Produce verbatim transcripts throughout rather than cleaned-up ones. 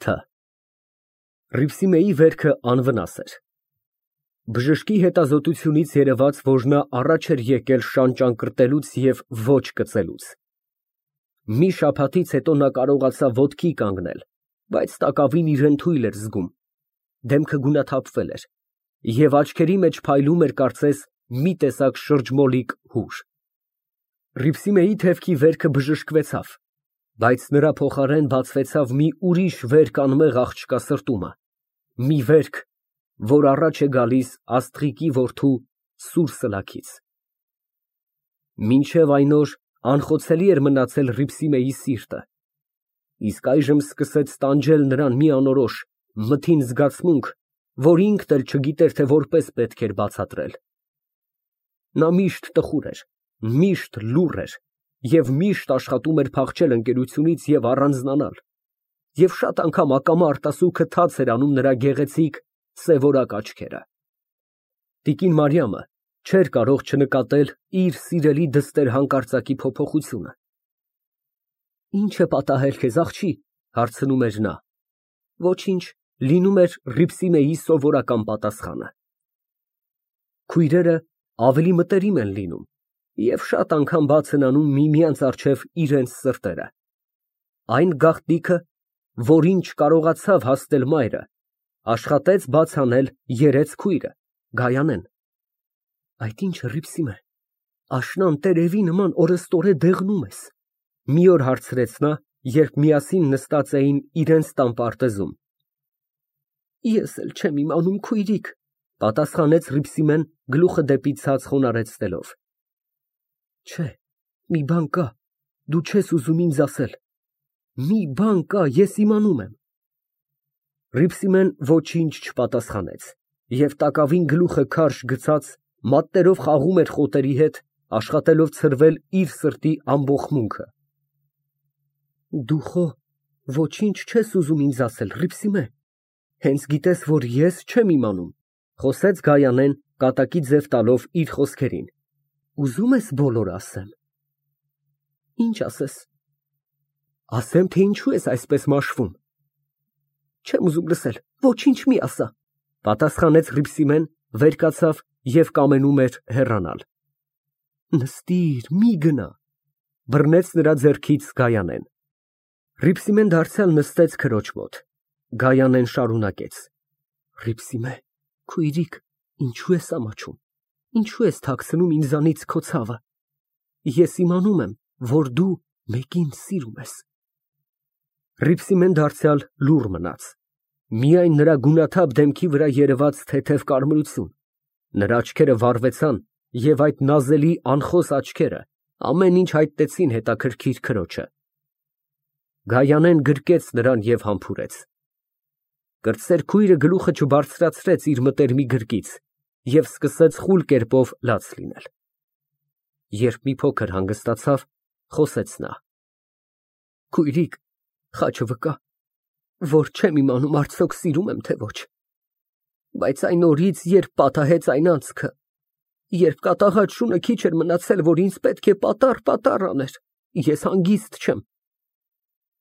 Թ Հռիփսիմեի վերքը անվնաս էր։ Բժշկի հետազոտությունից երևաց, որ նա առաջ էր եկել շան ճանկռտելուց և ոչ կծելուց։ Մի շաբաթից հետո նա կարողացավ ոտքի կանգնել, բայց տակավին իրան թույլ էր զգում, դեմքը գունաթափվել էր, և աչքերի մեջ փայլում էր, կարծես, մի տեսակ շրջմոլիկ հուր։ Հռիփսիմեի թևքի վերքը բժշկվեցավ, բայց նրա փոխարեն բացվեցավ մի ուրիշ վերք անմեղ աղջկա սրտումը, մի վերք, որ առաջ է գալիս աստղիկի որդու սուր սլաքից։ Մինչև այն օր անխոցելի էր մնացել Հռիփսիմեի սիրտը, իսկ այժմ սկսեց տանջել նրան մի անորոշ, մթին զգացմունք, որ ինքն էլ չգիտեր, թե որպես պետք էր բացատրել։ Նա միշտ տխուր էր, միշտ լուռ էր և միշտ աշխատում էր փախչել ընկերությունից և առանձնանալ, և շատ անգամ ակամա արտասուքը թաց էր անում նրա գեղեցիկ սևորակ աչքերը։ Տիկին Մարիամը չէր կարող չնկատել իր սիրելի դստեր հանկարծակի փոփոխությունը։ «Ի՞նչ է պատահել քեզ, աղջի», հարցնում էր նա։ «Ոչինչ», լինում էր Հռիփսիմեի սովորական պատասխանը։ Քույրերը ավելի մտերիմ են լինում և շատ անգամ բաց են անում միմյանց առջև իրենց սրտերը։ Այն գաղտնիքը, որին չկարողացավ հասնել մայրը, աշխատեց բաց անել երեց քույրը՝ Գայանեն։ «Այդ ի՞նչ, Հռիփսիմե, աշնան տերևի նման օրըստօրե դեղնում ես», մի օր հարցրեց նա, երբ միասին նստած էին իրենց տան պարտեզում։ «Ես էլ չեմ իմանում, քույրիկ», պատասխանեց Հռիփսիմեն գլուխը դեպի ցած խոնարհեցնելով։ «Չէ, մի բան կա, դու չես ուզում ինձ ասել։ Մի բան կա, ես իմանում եմ»։ Հռիփսիմեն ոչինչ չպատասխանեց և տակավին գլուխը քարշ գցած մատներով խաղում էր խոտերի հետ, աշխատելով ցրվել իր սրտի ամբոխմունքը։ «Դու խո ոչինչ չես ուզում ինձ ասել, Հռիփսիմե, հենց գիտես, որ ես չեմ իմանում», խոսեց Գայանեն, կատակի ձև տալով իր խոսքերին։ «Ուզում ես բոլորը ասեմ»։ «Ինչ ասես»։ «Ասեմ, թե ինչու ես այսպես մաշվում»։ «Չեմ ուզում լսել, ոչինչ մի ասա», պատասխանեց Հռիփսիմեն, վեր կացավ և կամենում էր հեռանալ։ «Նստիր, մի գնա», բռնեց նրա ձեռքից Գայանեն։ Հռիփսիմեն դարձյալ նստեց քրոջ մոտ։ Գայանեն շարունակեց. «Հռիփսիմե, քույրիկ, ինչու ես ամաչում, ինչու ես թաքցնում ինձանից քո ցավը։ Ես իմանում եմ, որ դու մեկին սիրում ես»։ Հռիփսիմեն դարձյալ լուռ մնաց։ Միայն նրա գունաթափ դեմքի վրա երևաց թեթև կարմրություն, նրա աչքերը վառվեցան, և այդ նազելի անխոս աչքերը ամեն ինչ հայտնեցին հետաքրքիր քրոջը։ Գայանեն գրկեց նրան և համբուրեց։ Կրտսեր քույրը գլուխը չբարձրացրեց իր մտերմի գրկից և սկսեց խուլ կերպով լաց լինել։ Երբ մի փոքր հանգստացավ, խոսեց նա. «Քույրիկ, խաչը վկա, որ չեմ իմանում արդյոք սիրում եմ, թե ոչ։ Բայց այն օրից, երբ պատահեց այն անցքը, երբ կատաղած շունը քիչ էր մնացել, որ ինձ պետք է պատառ֊պատառ աներ, ես հանգիստ չեմ։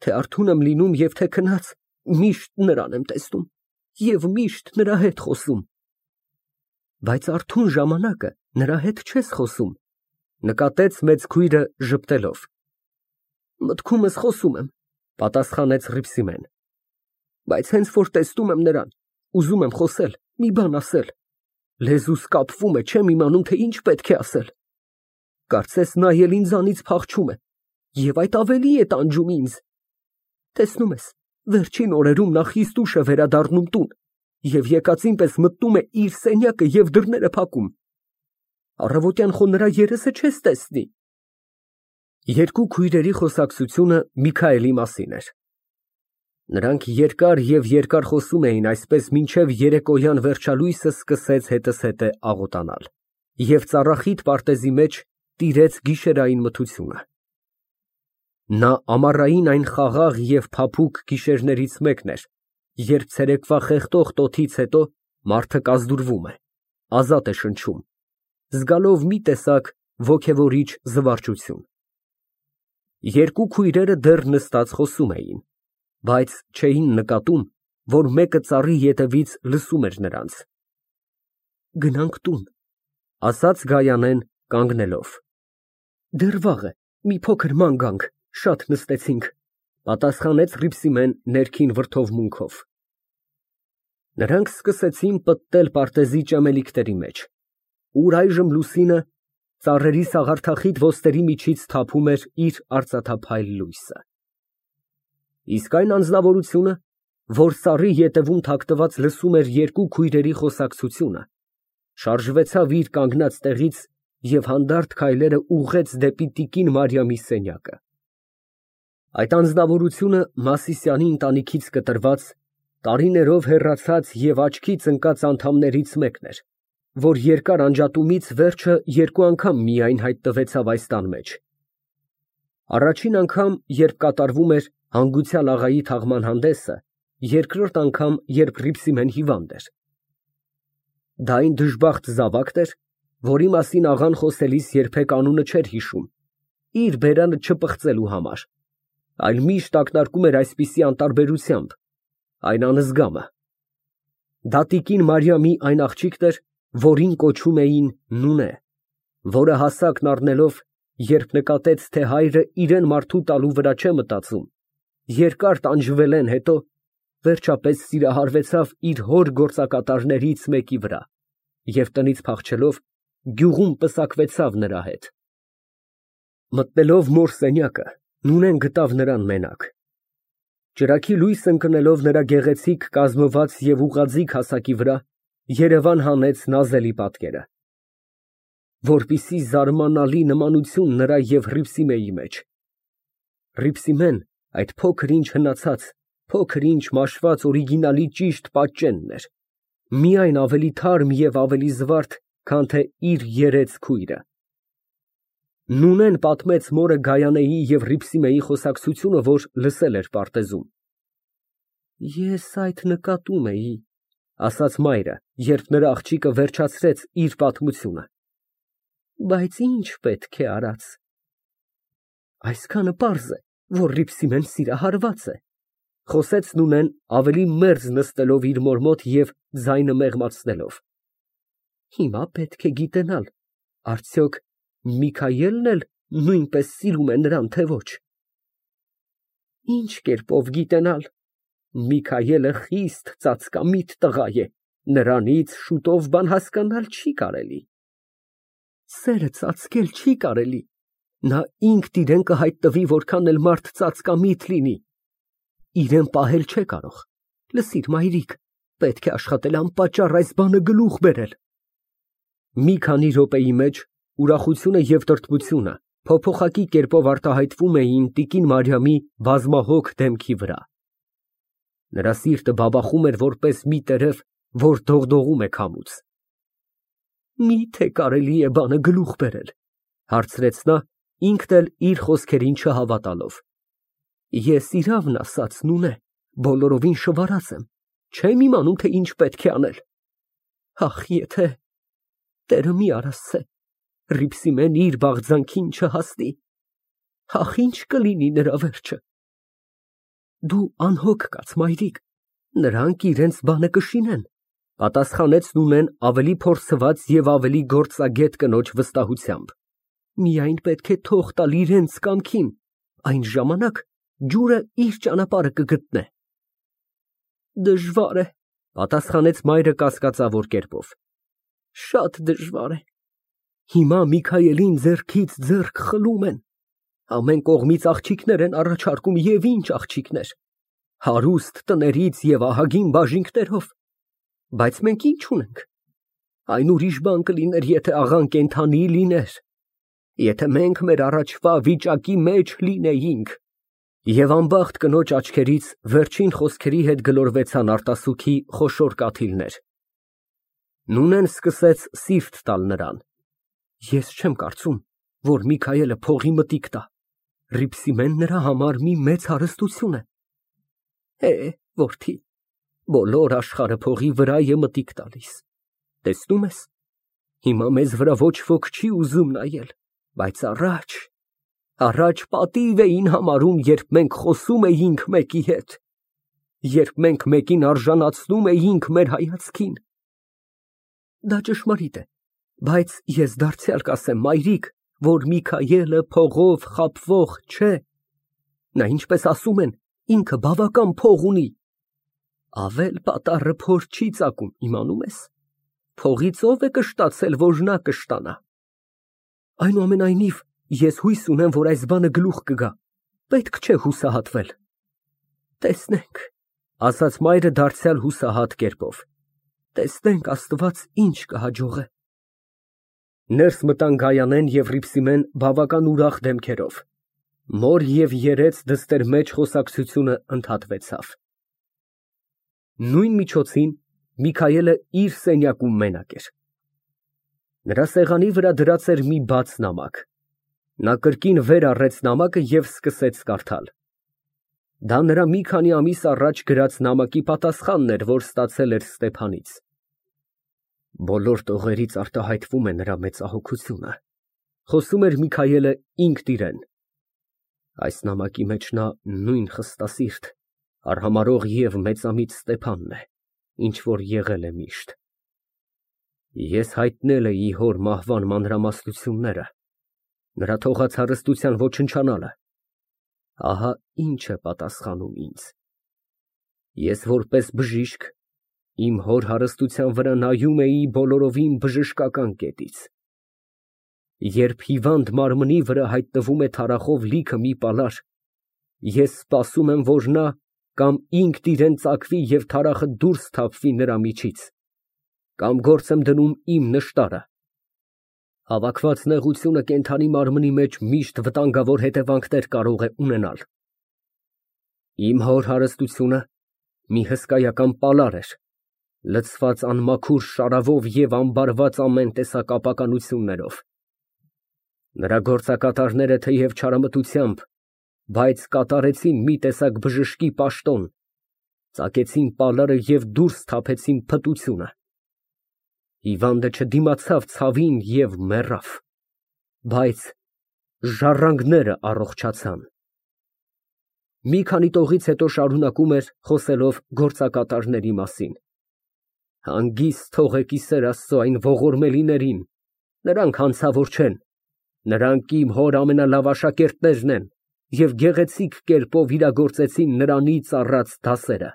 Թե արթուն եմ լինում և թե քնած, միշտ նրան եմ տեսնում և միշտ նրա հետ խոսում»։ «Բայց արթուն ժամանակը նրա հետ չես խոսում», նկատեց մեծ քույրը ժպտելով։ «Մտքումս խոսում եմ», պատասխանեց Հռիփսիմեն։ «Բայց հենց որ տեսնում եմ նրան, ուզում եմ խոսել, մի բան ասել։ Լեզուս կապվում է, չեմ իմանում, թե ինչ պետք է ասել։ Կարծես նա էլ ինձանից փախչում է, և այդ ավելի է տանջում ինձ։ Տեսնում ես, վերջին օրերում նա խիստ ուշ է վերադառնում տուն և եկածին պես մտնում է իր սենյակը և դռները փակում։ Առավոտյան խո նրա երեսը չես տեսնի»։ Երկու քույրերի խոսակցությունը Միքայելի մասին էր։ Նրանք երկար և երկար խոսում էին այսպես, մինչև երեկոյան վերջալույսը սկսեց հետզհետե աղոտանալ, և ծառախիտ պարտեզի մեջ տիրեց գիշերային մթությունը։ Նա ամառային այն խաղաղ և փափուկ գիշերներից մեկն էր, երբ ցերեկվա խեղդող տոթից հետո մարդը կազդուրվում է, ազատ է շնչում, զգալով մի տեսակ ոգևորիչ զվարճություն։ Երկու քույրերը դեռ նստած խոսում էին, բայց չէին նկատում, որ մեկը ծառի ետևից լսում էր նրանց։ Գնանք տուն, ասաց Գայանեն կանգնելով։ Դեռ վաղ է, մի փոքր ման գանք, շատ նստեցինք, պատասխանեց Հռիփսիմեն ներքին վրդովմունքով։ Նրանք սկսեցին պտտել պարտեզի ճամելիքների մեջ, ուր այժմ լուսինը ծառերի սաղարթախիտ ոսტերի միջից թափում էր իր արծաթափայլ լույսը։ Իսկ այն անձնավորությունը, որ ծառի ետևում թաքնված լսում էր երկու քույրերի խոսակցությունը, շարժվեցավ իր կանգնած տեղից և հանդարտ քայլերը ուղղեց դեպի տիկին Մարիամի սենյակը։ Այդ անձնավորությունը Մասիսյանի ընտանիքից կտրված, տարիներով հեռացած և աչքից ընկած անդամներից մեկն էր, որ երկար անջատումից վերջը երկու անգամ միայն հայտնվեցավ այս տան մեջ։ Առաջին անգամ, երբ կատարվում էր հանգուցյալ աղայի թաղման հանդեսը, երկրորդ անգամ, երբ Հռիփսիմեն հիվանդ էր։ Դա այն դժբախտ զավակն էր, որի մասին աղան խոսելիս երբեք անունը չէր հիշում, իր բերանը չպղծելու համար, այլ միշտ ակնարկում էր այսպիսի անտարբերությամբ, այն անզգամը։ Դա տիկին Մարիամի այն աղջիկն էր, որին կոչում էին Նունե, որը հասակն առնելով, երբ նկատեց, թե հայրը իրան մարդու տալու վրա չէ մտածում, երկար տանջվելեն հետո, վերջապես սիրահարվեցավ իր հոր գործակատարներից մեկի վրա և տնից փախչելով, գյուղում պսակվեցավ նրա հետ։ Մտնելով մոր սենյակը, Նունեն գտավ նրան մենակ։ Ճրագի լույս ընկնելով նրա գեղեցիկ կազմված և ուղղաձիգ հասակի վրա, երևան հանեց նազելի պատկերը, որպիսի զարմանալի նմանություն նրա և Հռիփսիմեի մեջ։ Հռիփսիմեն այդ փոքր ինչ հնացած, փոքր ինչ մաշված օրիգինալի ճիշտ պատճենն էր, միայն ավելի թարմ և ավելի զվարթ, քան թե իր երեց քույրը։ Նունեն պատմեց մորը Գայանեի և Հռիփսիմեի խոսակցությունը, որ լսել էր պարտեզում։ Ես այդ նկատում էի, ասաց մայրը, երբ նրա աղջիկը վերջացրեց իր պատմությունը, բայց ինչ պետք է արած։ Այսքանը պարզ է, որ Հռիփսիմեն սիրահարված է, խոսեց Նունեն ավելի մերձ նստելով իր մոր մոտ և ձայնը մեղմացնելով։ Հիմա պետք է գիտենալ, արդյոք Միքայելն էլ նույնպես սիրում է նրան, թե ոչ։ Ինչ կերպով գիտենալ, Միքայելը խիստ ծածկամիտ տղա է, նրանից շուտով բան հասկանալ չի կարելի։ Սերը ծածկել չի կարելի, նա ինքն իրան կհայտնվի, որքան էլ մարդ ծածկամիտ լինի, իրան պահել չէ կարող, լսիր մայրիկ, պետք է աշխատել անպատճառ այս բանը գլուխ բերել։ Մի քանի րոպեի մեջ ուրախությունը և տրտմությունը փոփոխակի կերպով արտահայտվում էին տիկին Մարիամի բազմահոգ դեմքի վրա։ Նրա սիրտը բաբախում էր որպես մի տերև, որ դողդողում է քամուց։ Մի՞թե կարելի է բանը գլուխ բերել, հարցրեց նա, ինքն էլ իր խոսքերին չհավատալով։ Ես իրավն ասած, Նունե, բոլորովին շվարած եմ, չեմ իմանում, թե ինչ պետք է անել։ Ախ, եթե… Տերը մի արասցե, Հռիփսիմեն իր բաղձանքին չհասնի, ախ, ինչ կլինի նրա վերջը։ Դու անհոգ կաց, մայրիկ, նրանք իրենց բանը կշինեն, պատասխանեց Նունեն ավելի փորձված և ավելի գործագետ կնոջ վստահությամբ։ Միայն պետք է թող տալ իրենց կամքին, այն ժամանակ ջուրը իր ճանապարհը կգտնե։ Դժվար է, պատասխանեց մայրը կասկածավոր կերպով։ Շատ դժվար է։ Հիմա Միքայելին ձեռքից ձեռք խլում են, ամեն կողմից աղջիկներ են առաջարկում, և ինչ աղջիկներ, հարուստ տներից և ահագին բաժինկներով, բայց մենք ինչ ունենք։ Այն ուրիշ բան կլիներ, եթե աղան կենդանի լիներ, եթե մենք մեր առաջվա վիճակի մեջ լինեինք։ Եվ անբախտ կնոջ աչքերից վերջին խոսքերի հետ գլորվեցան արտասուքի խոշոր կաթիլներ։ Նունեն սկսեց սիրտ տալ նրան։ Ես չեմ կարծում, որ Միքայելը փողի մտիկ տա, Հռիփսիմեն նրա համար մի մեծ հարստություն է։ Է, որդի, բոլոր աշխարհը փողի վրա է մտիկ տալիս, տեսնում ես, հիմա մեզ վրա ոչ ոք չի ուզում նայել, բայց առաջ… Առաջ պատիվ էին համարում, երբ մենք խոսում էինք մեկի հետ, երբ մենք մեկին արժանացնում էինք մեր հայացքին։ Դա ճշմարիտ է, բայց ես դարձյալ կասեմ, մայրիկ, որ Միքայելը փողով խաբվող չէ։ Նա, ինչպես ասում են, ինքը բավական փող ունի։ Ավել պատառը փոր չի ծակում, իմանում ես։ Փողից ով է կշտացել, որ նա կշտանա։ Այնուամենայնիվ, ես հույս ունեմ, որ այս բանը գլուխ կգա, պետք չէ հուսահատվել։ Տեսնենք, ասաց մայրը դարձյալ հուսահատ կերպով, տեսնենք Աստված ինչ կհաջողե։ Ներս մտան Գայանեն և Հռիփսիմեն բավական ուրախ դեմքերով, մոր և երեց դստեր մեջ խոսակցությունը ընդհատվեցավ։ Նույն միջոցին Միքայելը իր սենյակում մենակ էր։ Նրա սեղանի վրա դրած էր մի բաց նամակ։ Նա կրկին վեր առեց նամակը և սկսեց կարդալ։ Դա նրա մի քանի ամիս առաջ գրած նամակի պատասխանն էր, որ ստացել էր Ստեփանից։ Բոլոր տողերից արտահայտվում է նրա մեծահոգությունը, խոսում էր Միքայելը ինքն իրեն։ Այս նամակի մեջ նա նույն խստասիրտ, արհամարհող և մեծամիտ Ստեփանն է, ինչ որ եղել է միշտ։ Ես հայտնել էի հոր մահվան մանրամասնությունները, նրա թողած հարստության ոչնչանալը, ահա ինչ է պատասխանում ինձ։ Ես որպես բժիշկ իմ հոր հարստության վրա նայում էի բոլորովին բժշկական կետից։ Երբ հիվանդ մարմնի վրա հայտնվում է թարախով լիքը մի պալար, ես սպասում եմ, որ նա կամ ինքն իրեն ծակվի և թարախը դուրս թափվի նրա միջից, կամ գործ եմ դնում իմ նշտարը։ Հավաքված նեղությունը կենդանի մարմնի մեջ միշտ վտանգավոր հետևանքներ կարող է ունենալ։ Իմ հոր հարստությունը մի հսկայական պալար էր, լցված անմաքուր շարավով և ամբարված ամեն տեսակ ապականություններով։ Նրա գործակատարները թեև չարամտությամբ, բայց կատարեցին մի տեսակ բժշկի պաշտոն, ծակեցին պալարը և դուրս թափեցին փտությունը։ Հիվանդը չդիմացավ ցավին և մեռավ, բայց ժառանգները առողջացան։ Մի քանի տողից հետո շարունակում էր, խոսելով գործակատարների մասին. Հանգիստ թողեք ի սեր Աստծո այն ողորմելիներին, նրանք հանցավոր չեն, նրանք իմ հոր ամենալավ աշակերտներն են և գեղեցիկ կերպով իրագործեցին նրանից առած դասերը։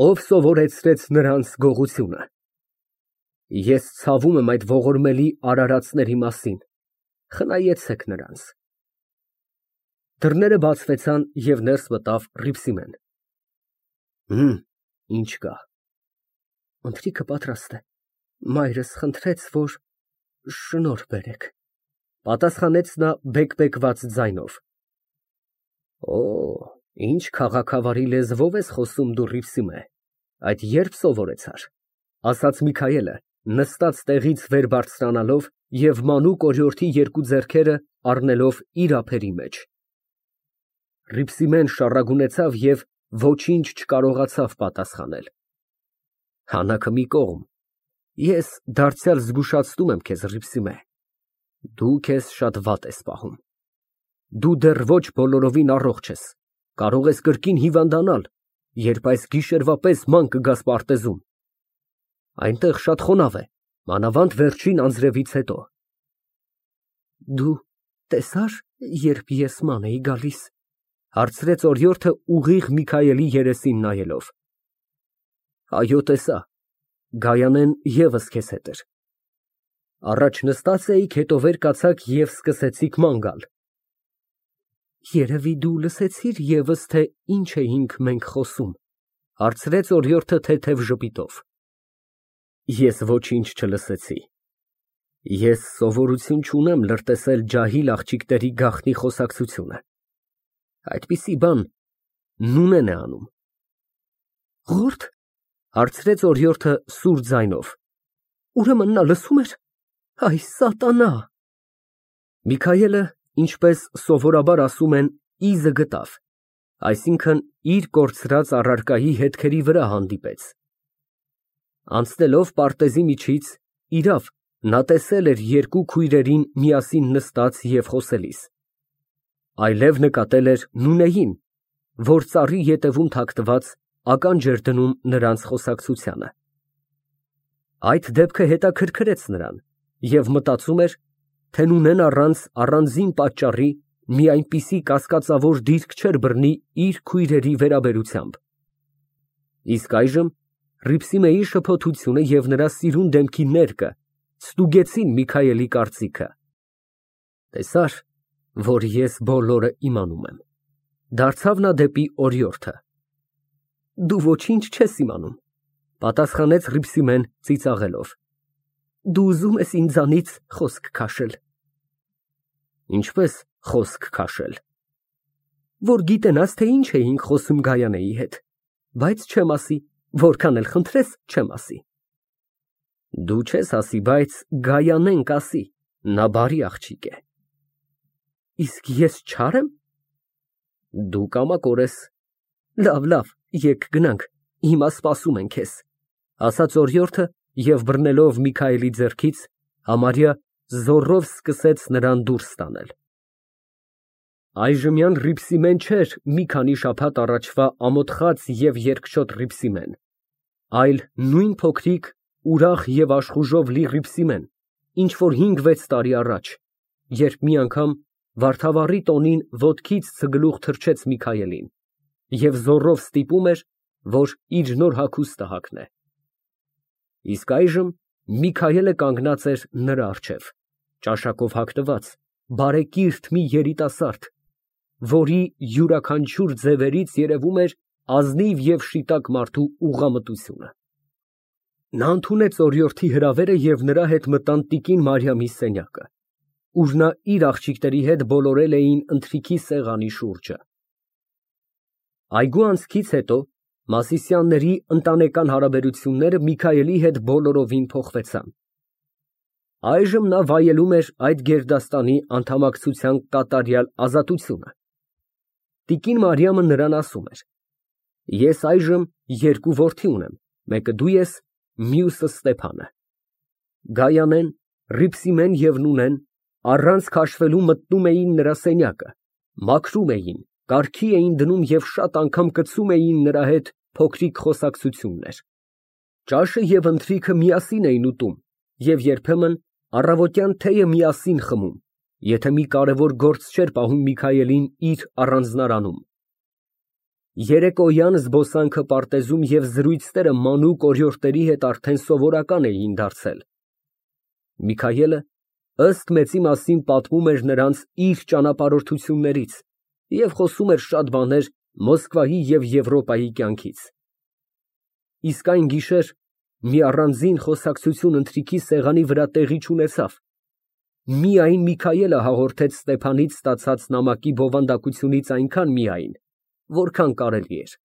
Ով սովորեցրեց նրանց գողությունը։ Ես ցավում եմ այդ ողորմելի արարածների մասին, խնայեցեք նրանց։ Դռները բացվեցան և ներս մտավ Հռիփսիմեն։ Հըմ, ինչ կա։ Ընթրիքը պատրաստ է, մայրս խնդրեց, որ շնորհ բերեք, պատասխանեց նա բեկբեկված ձայնով։ Օ, ինչ քաղաքավարի լեզվով ես խոսում դու, Հռիփսիմե, այդ երբ սովորեցար, ասաց Միքայելը, նստած տեղից վեր բարձրանալով և մանուկ օրիորդի երկու ձեռքերը առնելով իր ափերի մեջ։ Հռիփսիմեն շառագունեցավ և ոչինչ չկարողացավ պատասխանել։ Հանաքը մի կողմ, ես դարձյալ զգուշացնում եմ քեզ, Հռիփսիմե, դու քեզ շատ վատ ես պահում։ Դու դեռ ոչ բոլորովին առողջ ես, կարող ես կրկին հիվանդանալ, երբ այս գիշերվա պես ման կգաս պարտեզում։ Այնտեղ շատ խոնավ է, մանավանդ վերջին անձրևից հետո։ Դու տեսա՞ր, երբ ես ման էի գալիս, հարցրեց օրիորդը ուղիղ Միքայելի երեսին նայելով։ Այո, տեսա, Գայանեն ևս քեզ հետ էր։ Առաջ նստած էիք, հետո վեր կացաք և սկսեցիք ման գալ։ Երևի դու լսեցիր ևս, թե ինչ էինք մենք խոսում, հարցրեց օրիորդը թեթև ժպիտով։ Ես ոչինչ չլսեցի։ Ես սովորություն չունեմ լրտեսել ջահիլ աղջիկների գաղտնի խոսակցությունը։ Այդպիսի բան Նունեն է անում։ Ղորդ, հարցրեց օրիորդը սուր ձայնով։ Ուրեմն նա լսում էր։ Այ սատանա։ Միքայելը, ինչպես սովորաբար ասում են, իզը գտավ, այսինքն իր կորցրած առարկայի հետքերի վրա հանդիպեց։ Անցնելով պարտեզի միջից, իրավ, նա տեսել էր երկու քույրերին միասին նստած և խոսելիս։ Այլև նկատել էր Նունեին, որ ծառի ետևում թաքնված ականջ էր դնում նրանց խոսակցությանը։ Այդ դեպքը հետաքրքրեց նրան և մտածում էր, թե նույնն առանց առանձին պատճառի մի այնպիսի կասկածավոր դիրք չէր բռնի իր քույրերի վերաբերությամբ։ Իսկ այժմ Հռիփսիմեի շփոթությունը և նրա սիրուն դեմքի ներկը ստուգեցին Միքայելի կարծիքը։ Տեսա՞ր, որ ես բոլորը իմանում եմ, դարձավ նա դեպի օրիորդը։ Դու ոչինչ չես իմանում, պատասխանեց Հռիփսիմեն ծիծաղելով։ Դու ուզում ես ինձանից խոսք քաշել։ Ինչպես խոսք քաշել։ Որ գիտենաս, թե ինչ էինք խոսում Գայանեի հետ, բայց չեմ ասի, որքան էլ խնդրես, չեմ ասի։ Դու չես ասի, բայց Գայանեն կասի, նա բարի աղջիկ է։ Իսկ ես չար եմ։ Դու կամակոր ես։ Լավ, լավ, եկ գնանք, հիմա սպասում են քեզ, ասաց օրիորդը և բռնելով Միքայելի ձեռքից, համարյա զոռով սկսեց նրան դուրս տանել։ Այժմյան Հռիփսիմեն չէր մի քանի շաբաթ առաջվա ամոթխած և երկչոտ Հռիփսիմեն, այլ նույն փոքրիկ, ուրախ և աշխուժով լի Հռիփսիմեն, ինչ որ հինգ֊վեց տարի առաջ, երբ մի անգամ վարդավառի տոնին ոտքից ցգլուխ թռչեց Միքայելին և զոռով ստիպում էր, որ իր նոր հագուստը հագնե։ Իսկ այժմ Միքայելը կանգնած էր նրա առջև, ճաշակով հագնված, բարեկիրթ մի երիտասարդ, որի յուրաքանչյուր ձևերից երևում էր ազնիվ և շիտակ մարդու ուղղամտությունը։ Նա ընդունեց օրիորդի հրավերը և նրա հետ մտան տիկին Մարիամի սենյակը, ուր նա իր աղջիկների հետ բոլորել էին ընթրիքի սեղանի շուրջը։ Այգու անցքից հետո Մասիսյանների ընտանեկան հարաբերությունները Միքայելի հետ բոլորովին փոխվեցան։ Այժմ նա վայելում էր այդ գերդաստանի անդամակցության կատարյալ ազատությունը։ Տիկին Մարիամը նրան ասում էր. Ես այժմ երկու որդի ունեմ, մեկը դու ես, մյուսը Ստեփանը։ Գայանեն, Հռիփսիմեն և Նունեն առանց քաշվելու մտնում էին նրա սենյակը, մաքրում էին, կարգի էին դնում և շատ անգամ կծում էին նրա հետ փոքրիկ խոսակցություններ։ Ճաշը և ընթրիքը միասին էին ուտում և երբեմն առավոտյան թեյը միասին խմում, եթե մի կարևոր գործ չէր պահում Միքայելին իր առանձնարանում։ Երեկոյան զբոսանքը պարտեզում և զրույցները մանուկ օրիորդների հետ արդեն սովորական էին դարձել։ Միքայելը ըստ մեծի մասին պատմում էր նրանց իր ճանապարհորդություններից և խոսում էր շատ բաներ Մոսկվայի և Եվրոպայի կյանքից։ Իսկ այն գիշեր մի առանձին խոսակցություն ընթրիքի սեղանի վրա տեղի չունեցավ։ Միայն Միքայելը հաղորդեց Ստեփանից ստացած նամակի բովանդակությունից այնքան միայն, որքան կարելի էր։